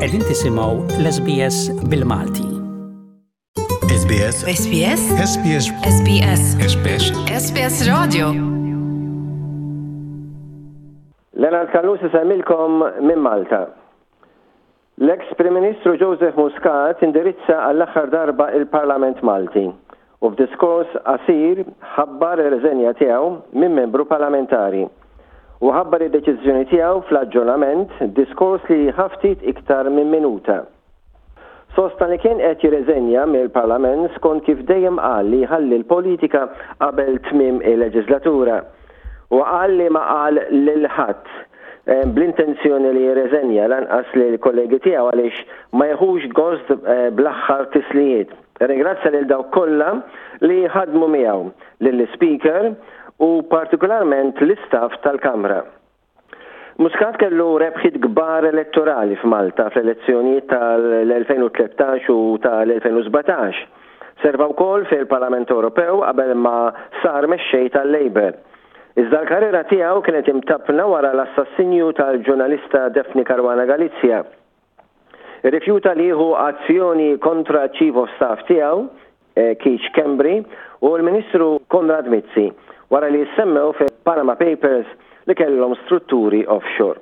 Qegħdin tisimgħu l-SBS bil-Malti. SBS SBS SBS SBS SBS SBS Radio Leonard Callus isemmilkom minn Malta. L-eks Prim Ministru Joseph Muscat indirizza għall-aħħar darba il-Parlament Malti u f'diskors qasir ħabbar ir-riżenja tiegħu minn membru parlamentari. Huwa ħabbar id-deċiżjoni tiegħu fl-aġġornament, diskors li ħa ftit iktar minn minuta. Sostna li kien qed jirriżenja mill-Parlament skont kif dejjem qal li jħalli l-politika qabel tmiem il-leġiżlatura. Huwa qal li ma qal lil ħadd bl-intenzjoni li jirriżenja lanqas lill-kollegi tiegħu għaliex ma jiħux gost bl-aħħar tislijiet. Irringrazzja lil dawk kollha li ħadmu miegħu, lill-Ispeaker u partikolarment l-istaff tal-Kamra. Muscat kellu rebħiet kbar elettorali f'Malta fl-elezzjonijiet tal-2013 u tal-2017. Serva wkoll fil-Parlament Ewropew qabel ma sar mexxej tal-Labour. Iżda l-karriera tiegħu kienet imtappna wara l-assassinju tal-ġurnalista Daphne Caruana Galizia. Irrifjuta li jieħu azzjoni kontra ċ-Chief of Staff tiegħu, Keith Schembri, u l-Ministru Konrad Mizzi wara li ssemmew fil-Panama Papers li kellhom strutturi offshore.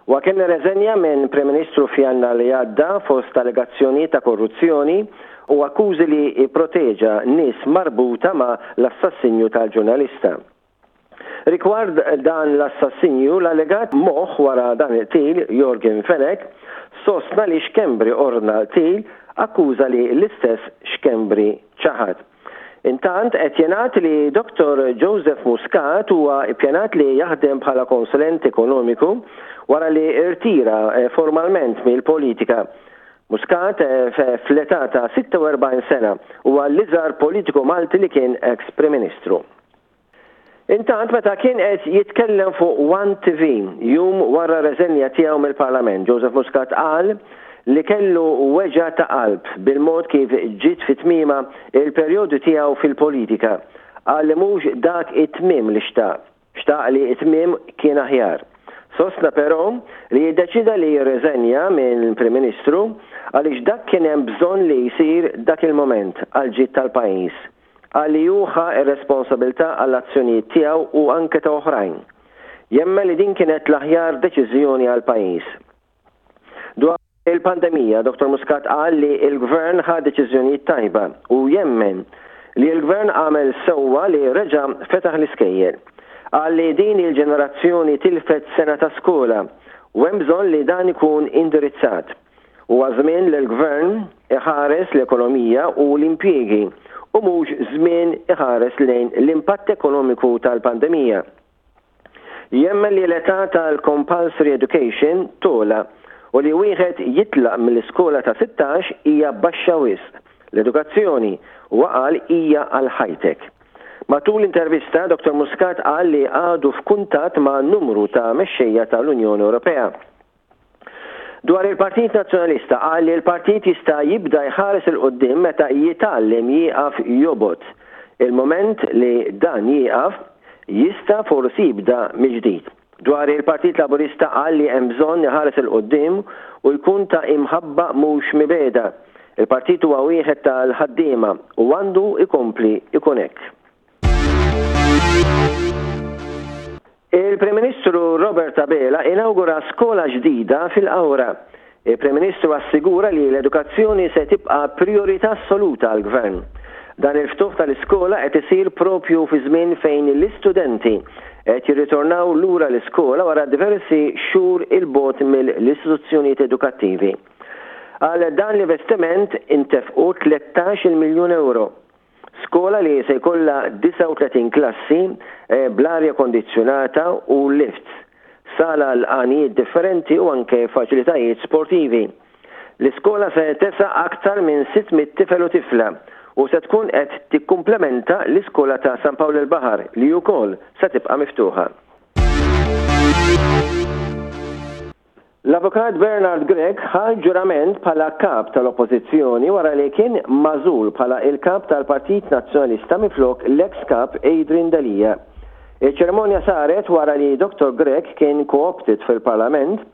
Huwa kien irreżenja minn Prim Ministru f'Jannar li għadda fost allegazzjonijiet ta' korruzzjoni u akkużi li pproteġa nies marbuta ma' l-assassinju tal-ġurnalista. Rigward dan l-assassinju, l-allegat moħħ wara dan il-qtil, Yorgen Fenech, sostna li Schembri ordna l-qtil, akkuża li l-istess Schembri ċaħad. Intant, qed jingħad li Dottor Joseph Muscat huwa ppjanat li jaħdem bħala konsulent ekonomiku wara li rtira formalment mill-politika. Muscat, fl-età ta' 46 sena, huwa l-iżgħar politiku Malti li kien eks Prim Ministru. Intant meta kien qed jitkellem fuq One TV jum wara r-reżenja tiegħu mill-Parlament, Joseph Muscat qal li kellu weġgħa ta' qalb bil-mod kif ġiet fi tmiemha il-perjodu tiegħu fil-politika. Qal li mhux dak it-tmiem li xtaq. Xtaq li t-tmiem kien aħjar. Sostna però li iddeċieda li jirreżenja minn Prim Ministru għaliex dak kien hemm bżonn li jsir dak il-mument għall-ġid tal-pajjiż. Qal li hu ħa r-responsabilità għall-azzjonijiet tiegħu u anke ta' oħrajn. Jemmen li din kienet l-aħjar deċiżjoni għall-pajjiż. Dwar il-pandemija, Dottor Muscat qal li l-Gvern ħa deċiżjonijiet tajba u jemmen li l-Gvern għamel sewwa li reġa' fetaħ l-iskejjel. Qal li din il-ġenerazzjoni tilfet sena ta' skola u hemm bżonn li dan ikun indirizzat. Huwa żmien li l-Gvern iħares l-ekonomija u l-impjiegi u mhux żmien iħares lejn l-impatt ekonomiku tal-pandemija. Jemmen li l-età tal-compulsory education togħla u li wieħed jitlaq mill-iskola ta' 16 hija baxxa wisq. L-edukazzjoni, huwa qal, hija għal ħajtek. Matul l-intervista, Dottor Muscat qal li għadu f'kuntatt ma' numru ta' mexxejja tal-Unjoni Ewropea. Dwar il-Partit Nazzjonalista qal li l-partit jista' jibda jħares 'il quddiem meta jitgħallem jieqaf jobgħod. Il-mument li dan jieqaf, jista' forsi jibda mill-ġdid. Dwar il-Partit Laburista qal li hemm bżonn iħares 'il quddiem u jkun ta' imħabba mhux mibegħda. Il-partit huwa wieħed tal-ħaddiema u għandu jkompli jkun hekk. Il-Prim Ministru Robert Abela inawgura skola ġdida fil-Qawra. Il-Prim Ministru assigura li l-edukazzjoni se tibqa' prijorità assoluta għall-Gvern. Dan il-ftuħ tal-iskola qed isir propju fi żmien fejn l-istudenti qed jirritornaw lura l-iskola wara diversi xhur 'il bogħod mill-istituzzjonijiet edukattivi. Għal dan l-investiment intefqu 13-il miljun ewro. Skola li se jkollha 39 klassi bl-arja kondizzjonata u lifts, sala għal għanijiet differenti u anke faċilitajiet sportivi. L-iskola se tesa' aktar minn 600 tifel u tifla u se tkun qed tikkumplementa l-iskola ta' San Pawl il-Baħar li wkoll se tibqa' miftuħa. L-Avukat Bernard Grech ħa l-ġurament bħala Kap tal-Oppożizzjoni wara li kien magħżul bħala l-Kap tal-Partit Nazzjonalista minflok l-eks Kap Adrian Delia. Iċ-ċerimonja saret wara li Dottor Grech kien co-opted fil-Parlament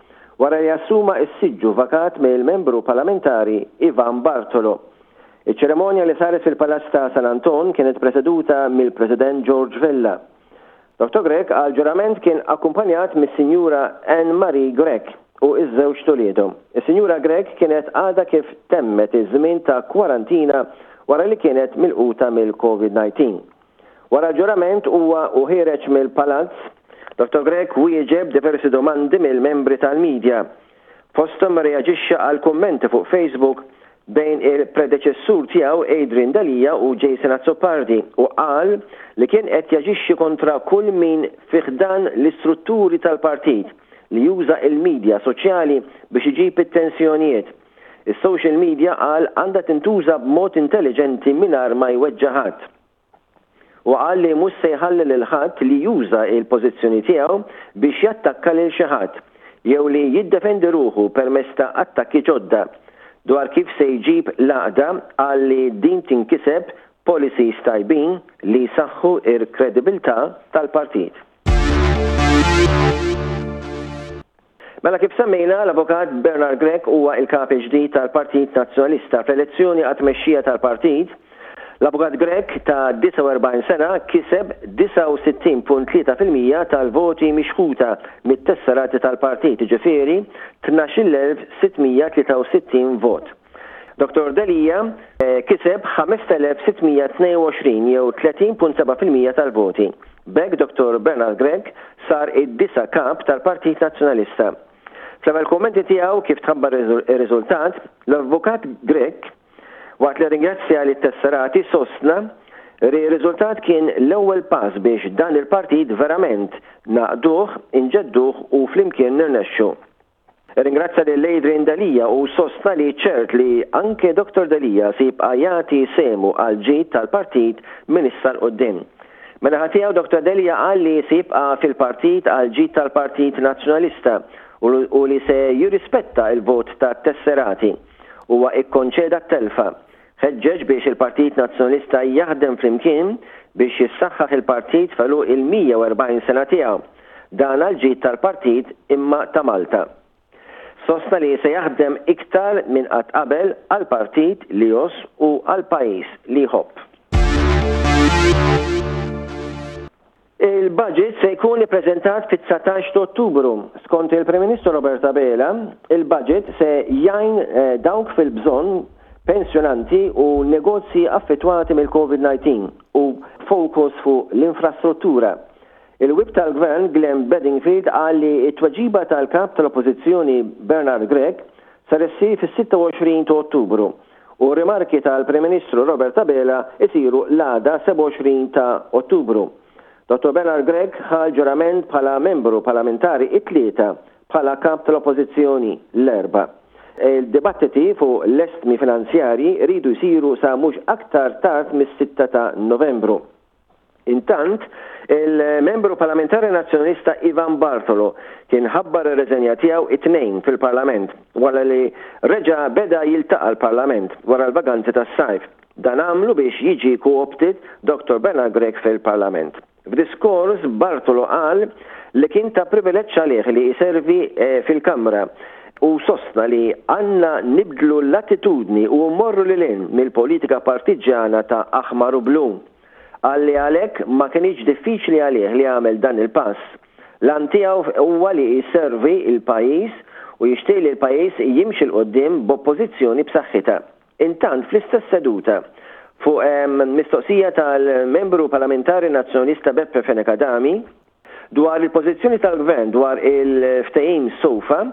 wara li assuma s-siġġu vakat mill-Membru Parlamentari Ivan Bartolo. Iċ-ċerimonja li saret fil-Palazz ta' San Anton kienet preseduta mill-President George Vella. Dottor Grech għall-ġurament kien akkumpanjat mis-Sinjura Anne Marie Grech u ż-żewġt uliedhom. Is-Sinjura Grech kienet għadha kif temmet iż-żmien ta' kwarantina wara li kienet milquta mill-Covid 19. Wara l-ġurament huwa u ħiereġ mill-Palazz, Dottor Grech wieġeb diversi domandi mill-membri tal-media. Fosthom irreaġixxa għal kummenti fuq Facebook bejn il-predeċessur tiegħu Adrian Delia u Jason Azzopardi u qal li kien qed jaġixxi kontra kull min fi ħdan l-istrutturi tal-partit li juża l-media soċjali biex iġib it-tensjonijiet. Is-social media qal għandha tintuża b'mod intelliġenti mingħajr ma jweġġa' ħadd. Huwa qal li mhux se jħalli lil ħadd li juża l-pożizzjoni tiegħu biex jattakka lil xi ħadd, jew li jiddefendi ruħu permezz ta' attakki ġodda. Dwar kif se jġib l-għaqda, qal li din tinkiseb b'policies tajbin li jsaħħu r-kredibilità tal-partit. Mela kif semmejna, l-Avukat Bernard Grech huwa il-Kap il-ġdid tal-Partit Nazzjonalista. Fl-elezzjoni għat-tmexxija tal-partit, l-Avukat Grech ta' 49 sena kiseb 69.3% tal-voti mixħuta mit-tesserati tal-partit, jiġifieri 12,663 vot. Dottor Delia kiseb 5,622 jew 30.7% tal-voti. B'hekk Dottor Bernard Grech sar id-disa' Kap tal-Partit Nazzjonalista. Fl-ewwel kummenti tiegħu kif tħabbar ir-riżultat, l-Avukat Grech, waqt li rringrazzja lit-tesserati sostna li r-riżultat kien l-ewwel pass biex dan il-partit verament ngħaqqduh, inġedduh u flimkien nirnexxu. Irringrazzja lil Adrian Delia u sostna li ċert li anke Dottor Delia se jibqa' jagħti sehmu għall-ġid tal-partit minn issa 'l quddiem. Min-naħa tiegħu Dottor Delia qal li se jibqa' fil-partit għall-ġid tal-Partit Nazzjonalista u li se jirrispetta l-vot tat-tesserati. Huwa ikkonċeda t-telfa. Ħeġġeġ biex il-Partit Nazzjonalista jaħdem flimkien biex jissaħħaħ il-partit f'għeluq il-140 sena tiegħu. Dan għall-ġid tal-partit imma ta' Malta. Sostna li se jaħdem iktar minn qatt qabel għall-partit li jgħożż u għall-pajjiż li jħobb. Il-budget se jkun ippreżentat fit-19 ta' Ottubru. Skont il-Prim Ministru Robert Abela, il-budget se jgħin dawk fil-bżonn, pensjonanti u negozji affettwati mill-Covid-19 u b'fokus fuq l-infrastruttura. Il-Whip tal-Gvern Glenn Bedingfield qal li t-tweġiba tal-Kap tal-Oppożizzjoni Bernard Grech ser issir fis-26 ta' Ottubru u r-rimarki tal-Prim Ministru Robert Abela jsiru l-għada 27 ta' Ottubru. Dottor Bernard Grech ħa l-ġurament bħala membru parlamentari it-Tlieta bħala Kap tal-Oppożizzjoni l-Erbgħa. Il-dibattiti fuq l-estmi finanzjarji jridu jsiru sa mhux aktar tard mis-sitta ta' Novembru. Intant, il-Membru Parlamentari Nazzjonalista Ivan Bartolo kien ħabbar ir-reżenja tiegħu it-Tnejn fil-Parlament wara li reġa' beda jiltaqa' l-Parlament wara l-vaganzi tas-sajf. Dan għamlu biex jiġi co-opted Dottor Bernard Grech fil-Parlament. F'diskors Bartolo qal li kien ta' privileġġ għalih li jservi fil-Kamra u sostna li għandna nibdlu l-attitudni u mmorru lil hinn mill-politika partiġġjana ta' aħmar u blu. Qal li għalhekk ma kinitx diffiċli għalih li jagħmel dan il-pass. L-għan tiegħu huwa li jservi l-pajjiż u jixtieq li l-pajjiż jimxi 'l quddiem b'oppożizzjoni b'saħħitha. Intant fl-istess seduta, fuq mistoqsija tal-Membru Parlamentari Nazzjonalista Beppe Fenech Adami, Dwar il-pożizzjoni tal-Gvern dwar il-ftehim SOFA,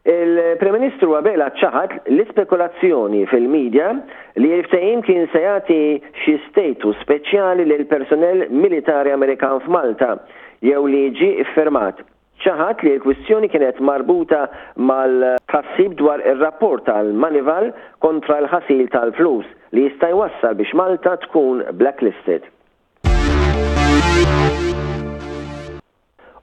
il-Prim Ministru Abela ċaħad l-ispekulazzjoni fil-media li l-ftehim kien se jagħti xi status speċjali lill-personnel militari Amerikan f'Malta jew li ġie ffirmat. Ċaħad li l-kwistjoni kienet marbuta mal-tħassib dwar ir-rapport tal-Moneyval kontra l-ħasil tal-flus li jista' jwassal biex Malta tkun blacklisted.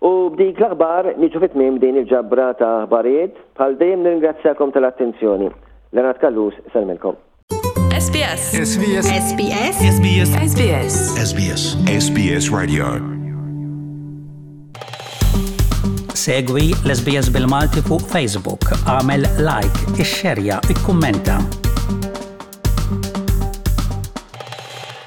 U b'dik l-aħbar niġu fi tmiem din il-ġabra ta' aħbarijiet. Bħal dejjem nirringrazzjakom tal-attenzjoni. Leonard Callus sellmilkom. SBS. SBS. SBS. SBS. SBS. SBS. SBS Radio. Segwi l-SBS bil-Malti fuq Facebook, għamel like, ixxerja, ikkummenta.